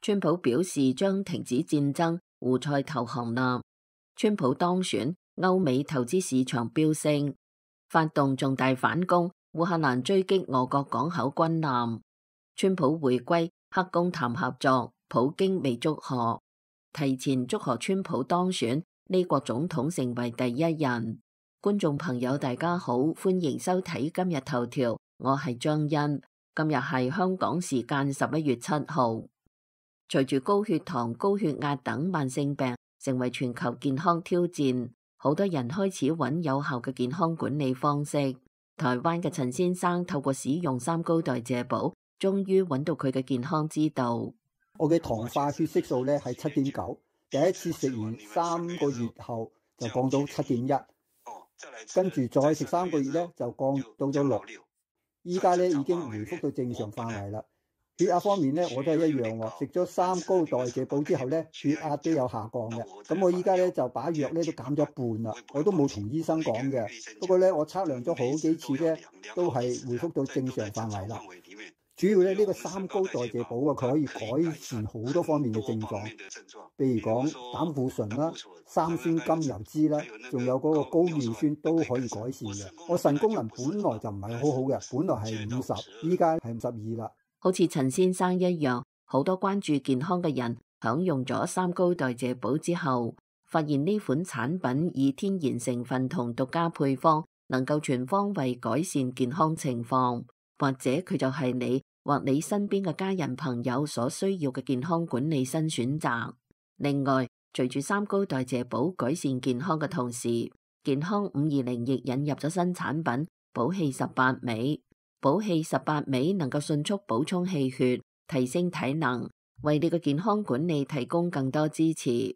川普表示將停止戰爭，胡塞投降啦。川普當選，歐美投資市場飆升，發動重大反攻，烏克蘭追擊俄國港口軍艦。川普回歸，黑宮談合作，普京未祝賀，提前祝賀川普當選，呢國總統成為第一人。觀眾朋友大家好，歡迎收睇今日頭條，我係張欣。今日係香港時間11月7號。隨住高血糖、高血壓等慢性病成為全球健康挑戰，好多人開始揾有效嘅健康管理方式。台灣嘅陳先生透過使用三高代謝寶，終於揾到佢嘅健康之道。我嘅糖化血色素咧係7.9，第一次食完3個月後就降到7.1，跟住再食3個月咧就降到咗6，依家咧已經回復到正常範圍啦。血壓方面咧我都係一樣喎，食咗三高代謝寶之後咧血壓都有下降嘅。咁我依家咧就把藥咧都減咗一半啦，我都冇同醫生講嘅。不過咧我測量咗好幾次咧都係回復到正常範圍啦。主要咧呢個三高代謝寶啊，佢可以改善好多方面嘅症狀，譬如講膽固醇啦、三酸甘油酯啦，仲有嗰個高尿酸都可以改善嘅。我腎功能本來就唔係好好嘅，本來係50，依家係52啦。好似陳先生一樣，好多關注健康嘅人享用咗三高代謝寶之後，發現呢款產品以天然成分同獨家配方，能夠全方位改善健康情況，或者佢就係你或你身邊嘅家人朋友所需要嘅健康管理新選擇。另外，隨住三高代謝寶改善健康嘅同時，健康520亦引入咗新產品寶氣18味。寶氣18味能夠迅速補充氣血，提升體能，為你嘅健康管理提供更多支持。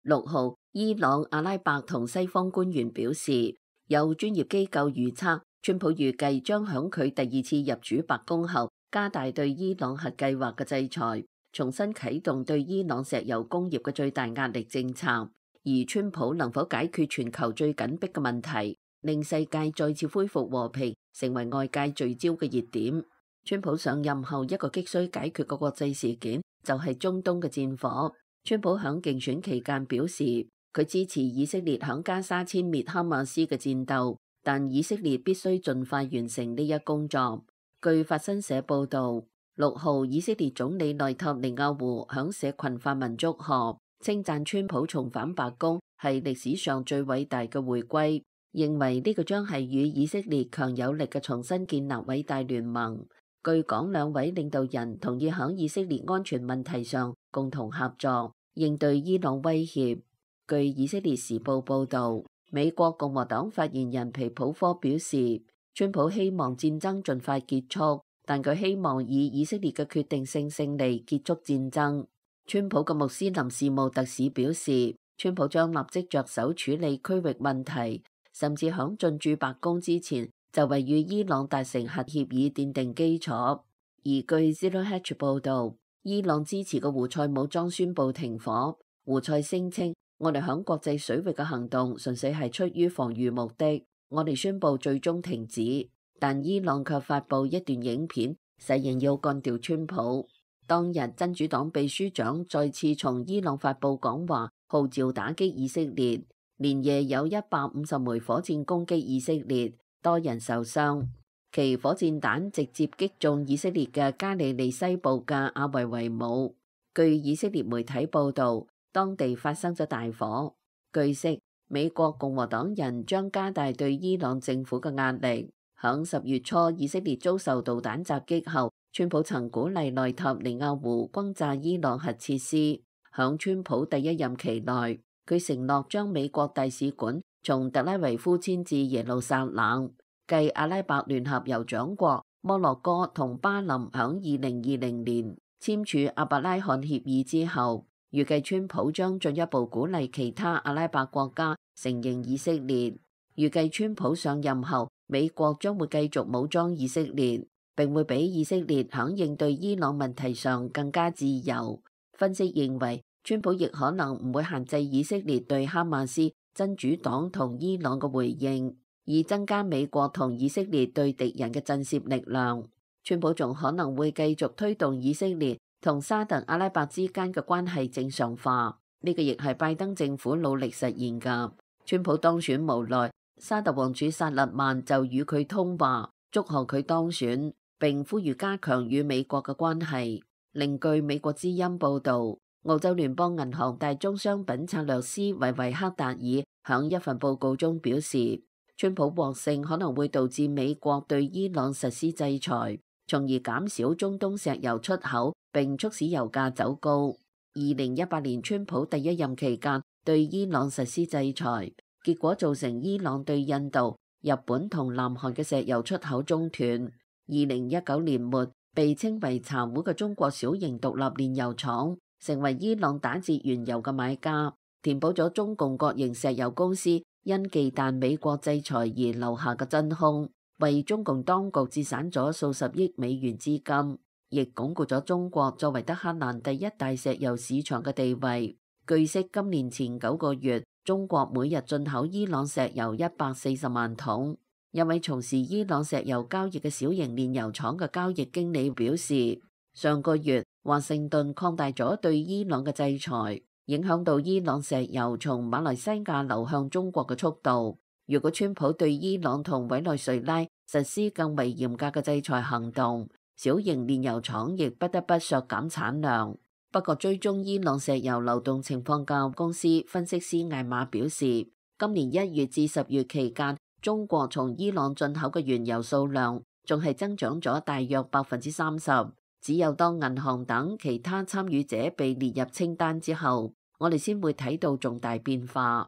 6號，伊朗、阿拉伯同西方官員表示，有專業機構預測，川普預計將響佢第二次入主白宮後，加大對伊朗核計劃嘅制裁，重新啟動對伊朗石油工業嘅最大壓力政策。而川普能否解決全球最緊迫嘅問題，令世界再次恢復和平，成為外界聚焦嘅熱點。川普上任後一個急需解決嘅國際事件就係中東嘅戰火。川普響競選期間表示，佢支持以色列響加沙殲滅哈馬斯嘅戰鬥，但以色列必須盡快完成呢一工作。據法新社報導，6號以色列總理內塔尼亞胡響社群發文祝賀，稱讚川普重返白宮係歷史上最偉大嘅回歸，認為呢個將係與以色列強有力嘅重新建立偉大聯盟。據講，兩位領導人同意喺以色列安全問題上共同合作，應對伊朗威脅。據以色列時報報導，美國共和黨發言人皮普科表示，川普希望戰爭盡快結束，但佢希望以以色列嘅決定性勝利結束戰爭。川普嘅穆斯林事務特使表示，川普將立即着手處理區域問題，甚至響進駐白宮之前就為與伊朗達成核協議奠定基礎。而據 Zero Hedge 報導，伊朗支持嘅胡塞武裝宣布停火。胡塞聲稱，我哋響國際水域嘅行動純粹係出於防禦目的，我哋宣布最終停止。但伊朗卻發布一段影片，誓言要幹掉川普。當日真主黨秘書長再次從伊朗發布講話，號召打擊以色列，連夜有150枚火箭攻擊以色列，多人受傷。其火箭彈直接擊中以色列嘅加利利西部嘅阿維維姆。據以色列媒體報導，當地發生咗大火。據悉，美國共和黨人將加大對伊朗政府嘅壓力。響10月初，以色列遭受導彈襲擊後，川普曾鼓勵內塔尼亞胡轟炸伊朗核設施。響川普第一任期內，佢承諾將美國大使館從特拉維夫遷至耶路撒冷。繼阿拉伯聯合酋長國摩洛哥同巴林響2020年簽署阿伯拉罕協議之後，預計川普將進一步鼓勵其他阿拉伯國家承認以色列。預計川普上任後，美國將會繼續武裝以色列，並會比以色列響應對伊朗問題上更加自由。分析認為，川普亦可能唔會限制以色列對哈馬斯、真主黨同伊朗嘅回應。以增加美國同以色列對敵人嘅震懾力量。川普仲可能會繼續推動以色列同沙特阿拉伯之間嘅關係正常化，呢個亦係拜登政府努力實現㗎。川普當選無奈，沙特王儲薩勒曼就與佢通話，祝賀佢當選，並呼籲加強與美國嘅關係。另據美國之音報導，澳洲聯邦銀行大宗商品策略師維維克達爾響一份報告中表示，川普獲勝可能會導致美國對伊朗實施制裁，從而減少中東石油出口並促使油價走高。2018年川普第一任期間對伊朗實施制裁，結果造成伊朗對印度、日本同南韓嘅石油出口中斷。2019年末，被稱為茶壺嘅中國小型獨立煉油廠成為伊朗打折原油嘅買家，填補咗中共國營石油公司因忌憚美國制裁而留下嘅真空，為中共當局節省咗數十億美元資金，亦鞏固咗中國作為德黑蘭第一大石油市場嘅地位。據悉，今年前9個月，中國每日進口伊朗石油140萬桶。一位從事伊朗石油交易嘅小型煉油廠嘅交易經理表示，上個月華盛頓擴大咗對伊朗嘅制裁，影響到伊朗石油從馬來西亞流向中國嘅速度。如果川普對伊朗同委內瑞拉實施更為嚴格嘅制裁行動，小型煉油廠亦不得不削減產量。不過，追蹤伊朗石油流動情況嘅公司分析師艾瑪表示，今年1月至10月期間，中國從伊朗進口嘅原油數量仲係增長咗大約30%，只有當銀行等其他參與者被列入清單之後，我哋先會睇到重大變化。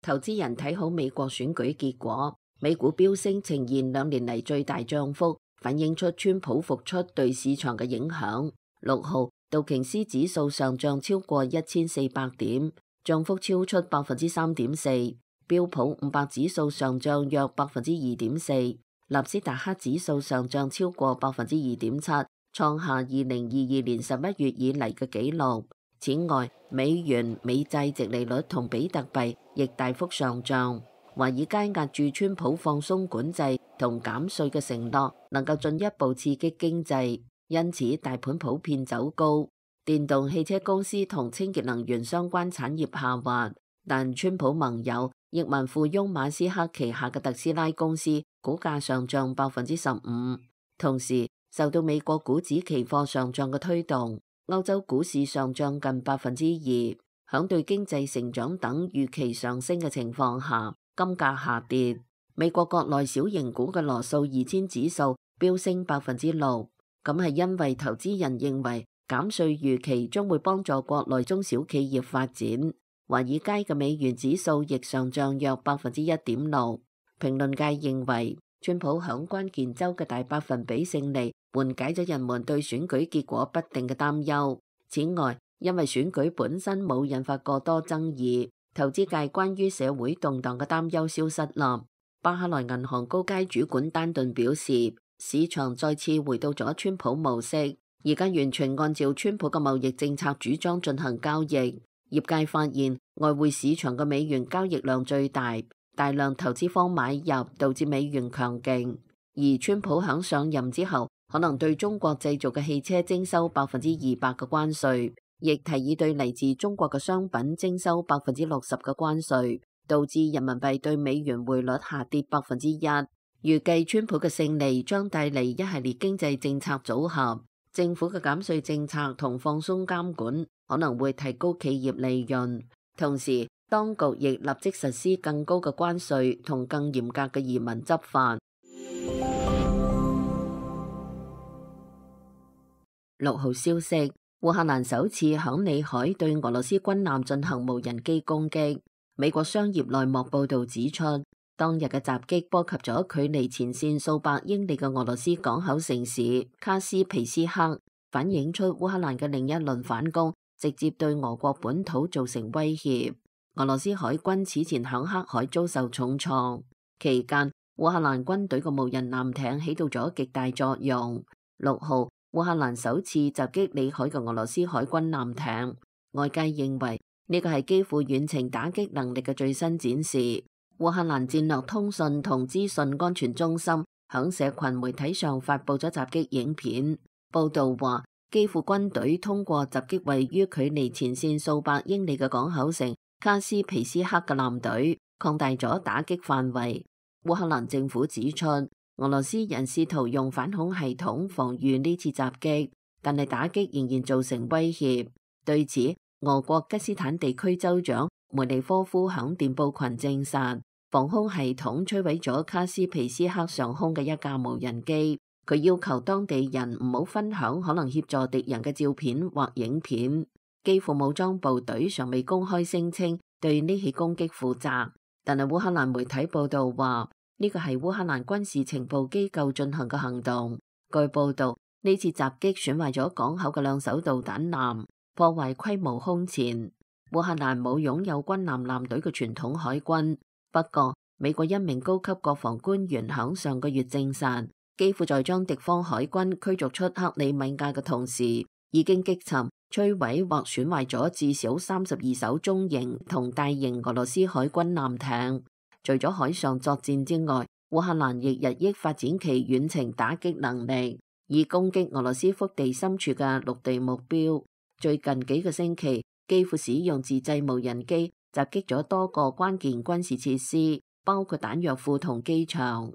投資人睇好美國選舉結果，美股飆升，呈現2年嚟最大漲幅，反映出川普復出對市場嘅影響。6號，道瓊斯指數上漲超過1400點，漲幅超出3.4%。標普500指數上漲約2.4%，納斯達克指數上漲超過2.7%，創下2022年11月以嚟嘅紀錄。此外，美元、美債殖利率同比特幣亦大幅上漲。華爾街押注川普放鬆管制同減稅嘅承諾能夠進一步刺激經濟，因此大盤普遍走高。電動汽車公司同清潔能源相關產業下滑，但川普盟友億萬富翁馬斯克旗下嘅特斯拉公司股價上漲15%。同時，受到美國股指期貨上漲嘅推動，歐洲股市上漲近2%。響對經濟成長等預期上升嘅情況下，金價下跌。美國國內小型股嘅羅素2000指數飆升6%，咁係因為投資人認為減稅預期將會幫助國內中小企業發展。華爾街嘅美元指數亦上漲約1.6%。評論界認為，川普響關鍵州嘅大百分比勝利緩解咗人們對選舉結果不定嘅擔憂。此外，因為選舉本身冇引發過多爭議，投資界關於社會動盪嘅擔憂消失啦。巴克萊銀行高階主管丹頓表示，市場再次回到咗川普模式，而家完全按照川普嘅貿易政策主張進行交易。業界發現外匯市場嘅美元交易量最大，大量投資方買入，導致美元強勁。而川普響上任之後，可能對中國製造嘅汽車徵收200%嘅關稅，亦提議對嚟自中國嘅商品徵收60%嘅關稅，導致人民幣對美元匯率下跌1%。預計川普嘅勝利將帶嚟一系列經濟政策組合，政府嘅減稅政策同放鬆監管可能會提高企業利潤，同時當局亦立即實施更高嘅關稅同更嚴格嘅移民執法。6號消息，烏克蘭首次響裏海對俄羅斯軍艦進行無人機攻擊。美國商業內幕報道指出，當日嘅襲擊波及咗距離前線數百英里嘅俄羅斯港口城市卡斯皮斯克，反映出烏克蘭嘅另一輪反攻直接對俄國本土造成威脅。俄羅斯海軍此前響黑海遭受重創，期間烏克蘭軍隊嘅無人艦艇起到咗極大作用。6號，烏克蘭首次襲擊裏海嘅俄羅斯海軍艦艇，外界認為呢個係基輔遠程打擊能力嘅最新展示。烏克蘭戰略通訊同資訊安全中心響社群媒體上發布咗襲擊影片，報道話基輔軍隊通過襲擊位於距離前線數百英里嘅港口城卡斯皮斯克嘅艦隊，擴大咗打擊範圍。烏克蘭政府指出，俄羅斯人試圖用反恐系統防禦呢次襲擊，但係打擊仍然造成威脅。對此，俄國吉斯坦地區州長梅利科夫響電報群證實，防空系統摧毀咗卡斯皮斯克上空嘅一架無人機。佢要求當地人唔好分享可能協助敵人嘅照片或影片。基輔武裝部隊尚未公開聲稱對呢起攻擊負責，但係烏克蘭媒體報道話呢個係烏克蘭軍事情報機構進行嘅行動。據報道，呢次襲擊損壞咗港口嘅2艘導彈艦，破壞規模空前。烏克蘭冇擁有軍艦艦隊嘅傳統海軍，不過美國一名高級國防官員響上個月證實，基輔在將敵方海軍驅逐出克里米亞嘅同時，已經擊沉、摧毀或損壞咗至少32艘中型同大型俄羅斯海軍艦艇。除咗海上作戰之外，烏克蘭亦日益發展其遠程打擊能力，以攻擊俄羅斯腹地深處嘅陸地目標。最近幾個星期，基輔使用自製無人機襲擊咗多個關鍵軍事設施，包括彈藥庫同機場。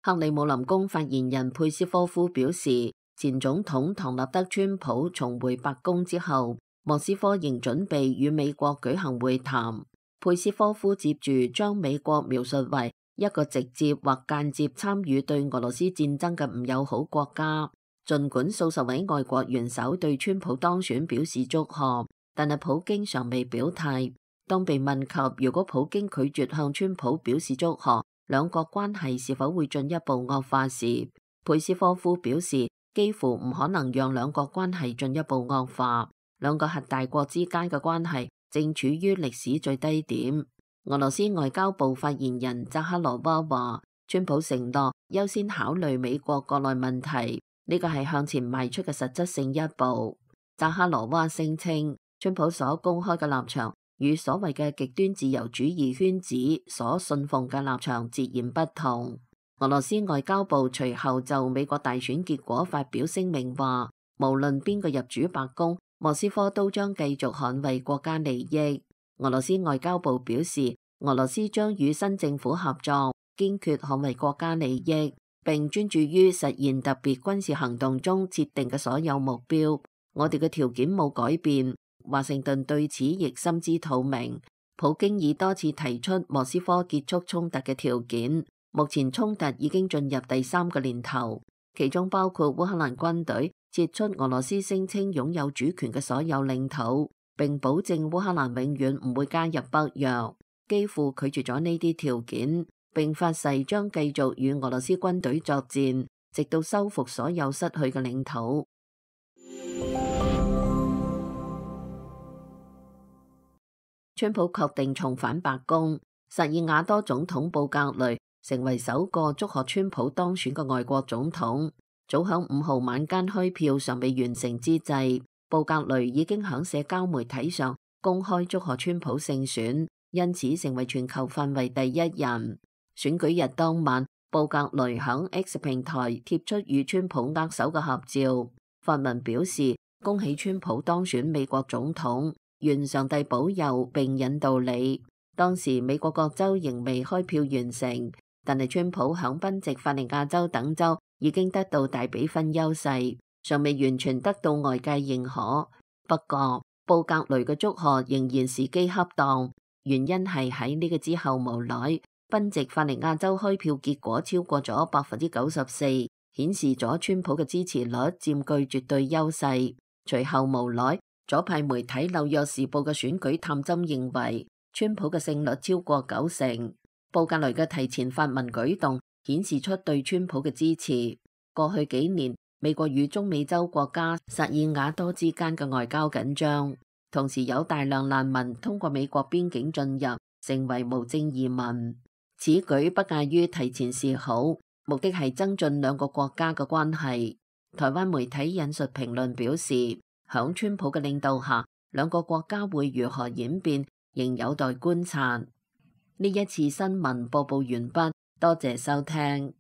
克里姆林宮發言人佩斯科夫表示，前總統唐納德川普重回白宮之後，莫斯科仍準備與美國舉行會談。佩斯科夫接住將美國描述為一個直接或間接參與對俄羅斯戰爭嘅唔友好國家。儘管數十位外國元首對川普當選表示祝賀，但係普京尚未表態。當被問及如果普京拒絕向川普表示祝賀，兩國關係是否會進一步惡化時，佩斯科夫表示幾乎唔可能讓兩國關係進一步惡化。兩個核大國之間嘅關係正處於歷史最低點。俄羅斯外交部發言人扎哈羅娃話，川普承諾優先考慮美國國內問題，呢個係向前邁出嘅實質性一步。扎哈羅娃聲稱，川普所公開嘅立場與所謂嘅極端自由主義圈子所信奉嘅立場截然不同。俄羅斯外交部隨後就美國大選結果發表聲明話，無論邊個入主白宮，莫斯科都將繼續捍衛國家利益。俄羅斯外交部表示，俄羅斯將與新政府合作，堅決捍衛國家利益，並專注於實現特別軍事行動中設定嘅所有目標。我哋嘅條件冇改變。華盛頓對此亦心知肚明。普京已多次提出莫斯科結束衝突嘅條件，目前衝突已經進入第3個年頭，其中包括烏克蘭軍隊撤出俄羅斯聲稱擁有主權嘅所有領土，並保證烏克蘭永遠唔會加入北約。基輔拒絕咗呢啲條件，並發誓將繼續與俄羅斯軍隊作戰，直到收復所有失去嘅領土。川普確定重返白宮，薩爾瓦多總統布格雷成為首個祝賀川普當選嘅外國總統。早響5號晚間開票尚未完成之際，布格雷已經響社交媒體上公開祝賀川普勝選，因此成為全球範圍第一人。選舉日當晚，布格雷響 X 平台貼出與川普握手嘅合照，發文表示恭喜川普當選美國總統。願上帝保佑並引導你。當時美國各州仍未開票完成，但係川普響賓夕法尼亞州等州已經得到大比分優勢，尚未完全得到外界認可。不過布格雷嘅祝賀仍然時機恰當，原因係喺呢個之後無耐，賓夕法尼亞州開票結果超過咗94%，顯示咗川普嘅支持率佔據絕對優勢。隨後無耐，左派媒體紐約時報嘅選舉探針認為，川普嘅勝率超過90%。布格雷嘅提前發文舉動顯示出對川普嘅支持。過去幾年，美國與中美洲國家薩爾瓦多之間嘅外交緊張，同時有大量難民通過美國邊境進入，成為無證移民。此舉不亞於提前示好，目的係增進兩個國家嘅關係。台灣媒體引述評論表示，響川普嘅領導下，兩個國家會如何演變，仍有待觀察。呢一次新聞播報完畢，多謝收聽。